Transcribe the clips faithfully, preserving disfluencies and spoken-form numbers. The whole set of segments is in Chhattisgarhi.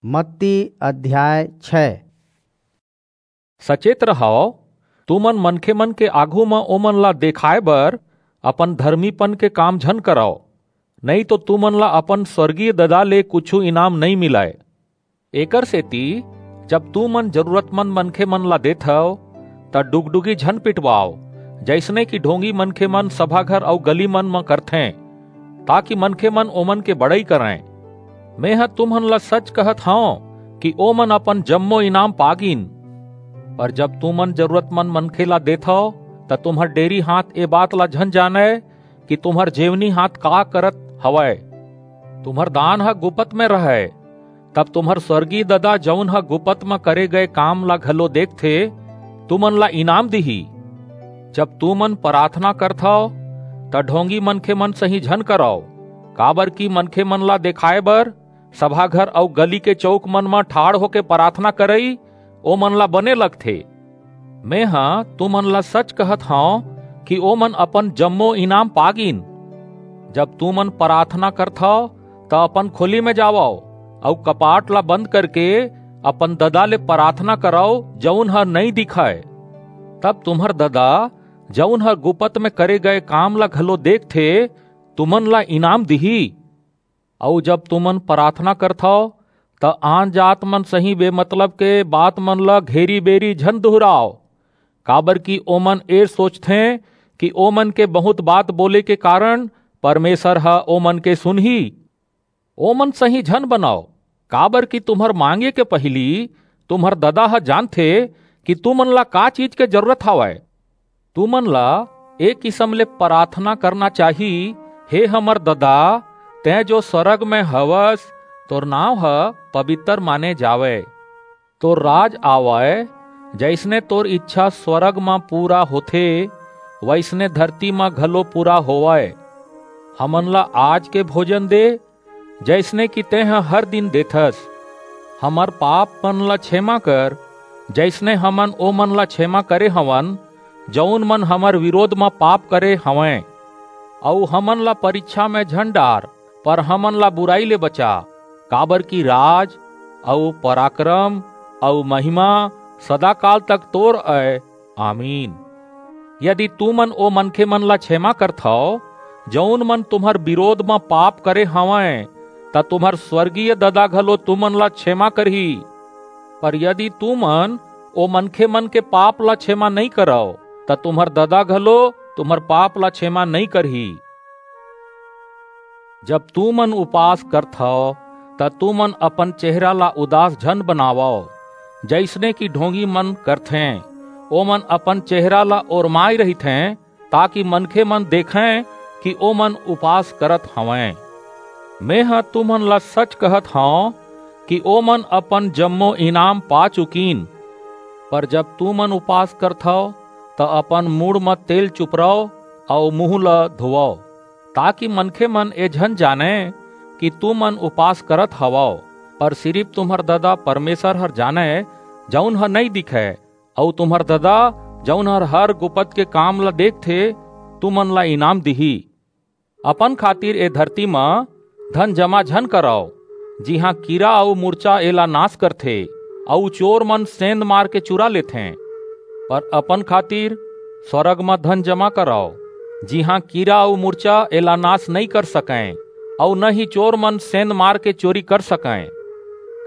मत्ती अध्याय छह। सचेत रहव, तुमन मनखे मन के आघू म ओमन ला देखाय बर अपन धर्मीपन के काम झन करव, नइं तो तुमन ला अपन स्वर्गीय ददा ले कुछू इनाम नइं मिलय। एकर सेती जब तुमन जरूरतमंद मनखे मन ला देथव, त डुगडुगी झन पिटवाव, जइसने कि ढोंगी मनखे मन सभा घर अऊ गली मन म करथें, ताकि मनखे मन ओमन के बड़ई करंय। मेंह तुमन ला सच कहत हंव कि ओमन अपन जम्मो इनाम पा गीन। पर जब तुमन जरूरतमंद मनखे ला देथव, त तुम्हर डेरी हाथ ए बात ला झन जानय कि तुम्हर जेवनी हाथ का करत हवय। तुम्हर दान ह गुपत म रहय, तब तुम्हर स्वर्गीय ददा, जऊन ह गुपत म करे गय काम ला घलो देखथे, तुमन ला इनाम दिही। जब तुमन पराथना करथव, त ढोंगी मनखे मन सहीं झन करव, काबरकि मनखे मन ला देखाय बर सभा घर अऊ गली के चऊक मन म ठाढ़ होके पराथना करई ओमन ला बने लगथे। मेंह तुमन ला सच कहत हंव कि ओमन अपन जम्मो इनाम पा गीन। जब तुमन पराथना करथव, त अपन खोली म जावव अऊ कपाट ला बंद करके अपन ददा ले पराथना करव, जऊन ह नइं दिखय। तब तुम्हर ददा, जऊन ह गुपत म करे गय काम ला घलो देखथे, तुमन ला इनाम दिही। अऊ जब तुमन पराथना करथव, त आनजात मन सहीं बेमतलब के बात मन ला घेरी-बेरी झन दुहराव, काबरकि ओमन ए सोचथें कि ओमन के बहुंत बात बोले के कारन परमेसर ह ओमन के सुनही। ओमन सहीं झन बनव, काबरकि तुम्हर मांगे के पहिली तुम्हर ददा ह जानथे कि तुमन ला का चीज के जरूरत हवय। तुमन ला ए किसम ले पराथना करना चाही, "हे हमर ददा, तें जो स्वरग म हवस, तोर नांव ह पबितर माने जावय। तोर राज आवय, जइसने तोर ईछा स्वरग म पूरा होथे, वइसने धरती म घलो पूरा होवय। हमन ला आज के भोजन दे, जइसने कि तेंह हर दिन देथस। हमर पाप मन ला छेमा कर, जइसने हमन ओमन ला छेमा करे हवन, जऊन मन हमर बिरोध म पाप करे हवंय। अऊ हमन ला परिछा म झन डार, पर हमन ला बुरई ले बचा, काबरकि राज अऊ पराकरम अऊ महिमा सदाकाल तक तोर अय। आमीन।" यदि तुमन ओ मनखे मन ला छेमा करथव, जऊन मन तुम्हर बिरोध म पाप करे हवंय, त तुम्हर स्वरगीय ददा घलो तुमन ला छेमा करही। पर यदि तुमन ओ मनखे मन के पाप ला छेमा नइं करव, त तुम्हर ददा घलो तुम्हर पाप ला छेमा नइं करही। जब तुमन उपास करथव, त तुमन अपन चेहरा ला उदास झन बनावव, जइसने कि ढोंगी मन करथें। ओमन अपन चेहरा ला ओरमाय रहिथें, ताकि मनखे मन देखंय कि ओमन उपास करत हवंय। मेंह तुमन ला सच कहत हंव कि ओमन अपन जम्मो इनाम पा चुकिन। पर जब तुमन उपास करथव, त अपन मुड़ म तेल चुपरव अऊ मुहूं ला धोवव, ताकि मनखे मन ए झन जानंय कि तुमन उपास करत हवव, पर सिरिप तुम्हर ददा परमेसर हर जानय, जऊन ह नइं दिखय, अऊ तुम्हर ददा, जऊन हर हर गुपत के काम ला देखथे, तुमन ला इनाम दिही। अपन खातिर ए धरती म धन जमा झन करव, जिहां कीरा अऊ मुरचा एला नास करथे, अऊ चोर मन सेंध मार के चुरा लेथें। पर अपन खातिर स्वरग म धन जमा करव, जिहां कीरा अऊ मुरचा एला नास नइं कर सकंय, अऊ न ही चोर मन सेंध मार के चोरी कर सकंय।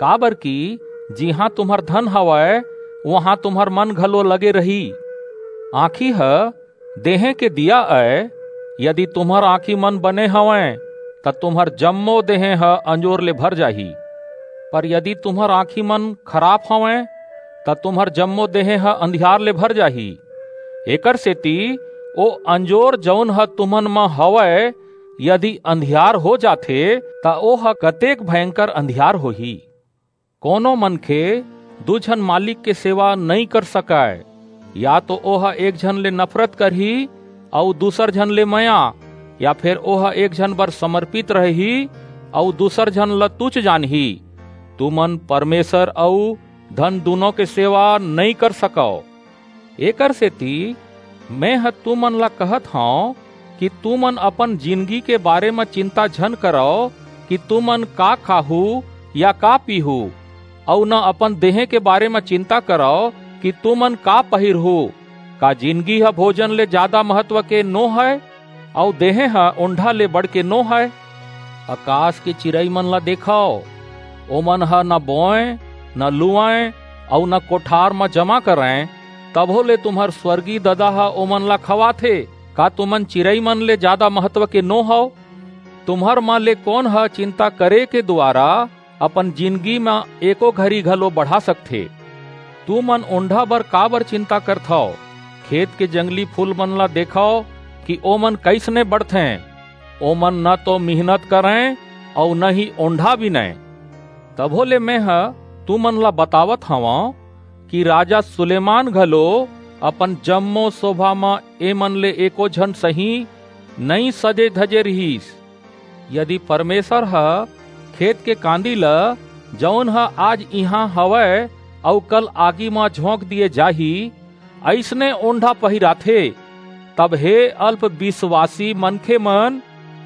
काबरकि जिहां तुम्हर धन हवय, उहां तुम्हर मन घलो लगे रही। आंखी ह देहें के दिया अय, यदि तुम्हर आंखी मन बने हवंय, त तुम्हर जम्मो देहें ह अंजोर ले भर जाही। पर यदि तुम्हर आंखी मन खराप हवंय, त तुम्हर जम्मो देहें ह अंधियार ले भर जाही। एकर सेती ओ अंजोर, जऊन ह तुमन म हवय, यदि अंधियार हो जाथे, त ओह कतेक भयंकर अंधियार होही। कोनो मनखे दू झन मालिक के सेवा नइं कर सकय, या तो ओह एक झन ले नफरत करही अऊ दूसर झन ले मया, या फेर ओह एक झन बर समर्पित रहही अऊ दूसर झन ल तुछ जानही। तुमन परमेसर अऊ धन दूनों के सेवा नइं कर सकव। एकर सेती मेंह तुमन ला कहत हंव कि तुमन अपन जिनगी के बारे म चिंता झन करव कि तुमन का खाहू या का पीहू, अऊ न अपन देहें के बारे म चिंता करव कि तुमन का पहिरहू। का जिनगी ह भोजन ले जादा महत्व के नो हय, अऊ देहें ह ओंढ़ा ले बढ़के नो हय? अकास के चिरईमन ला देखव, ओमन ह न बोंय, न लुवंय, अऊ न कोठार म जमा करंय, तभो ले तुम्हर स्वर्गीय ददा ह ओमन ला खवाथे। का तुमन चिरईमन ले जादा महत्व के नो हव? तुम्हर म ले कोन ह चिंता करे के दुवारा अपन जिनगी म एको घरी घलो बढ़ा सकथे? तुमन ओंढ़ा बर काबर चिंता करथव? खेत के जंगली फूलमन ला देखव कि ओमन कइसने बढ़थें। ओमन न तो मिहनत करंय अऊ न ही ओंढ़ा बिनंय। तभो ले मेंह तुमन ला बतावत हवंव कि राजा सुलेमान घलो अपन जम्मो सोभा म एमन ले एको झन सहीं नइं सजे-धजे रिहिस। यदि परमेसर ह खेत के कांदी ल, जऊन ह आज इहां हवय अऊ कल आगी म झोंक दिये जाही, अइसने ओंढ़ा पहिराथे, तब हे अल्प बिसवासी मनखेमन,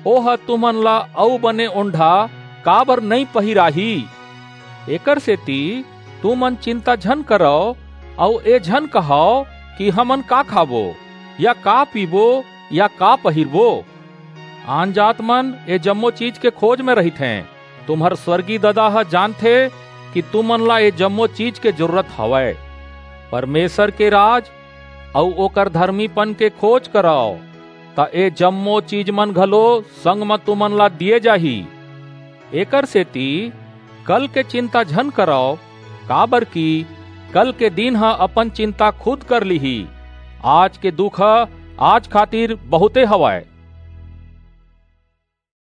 ओह तुमन ला अऊ बने ओंढ़ा काबर नइं पहिराही? एकरसेति तुमन चिंता झन करव अऊ ए झन कहव कि हमन का खाबो, या का पीबो, या का पहिरबो? आनजातमन ए जम्मो चीज के खोज म रहिथें। तुम्हर स्वर्गीय ददा ह जानथे कि तुमन ला ए जम्मो चीज के जरूरत हवय। परमेसर के राज अऊ ओकर धरमीपन के खोज करव, त ए जम्मो चीजमन घलो संग म तुमन ला दिये जाही। एकरसेति कल के चिंता झन करव, काबरकि कल के दिन ह अपन चिंता खुद कर लिही। आज के दुख ह आज खातिर बहुंते हवय।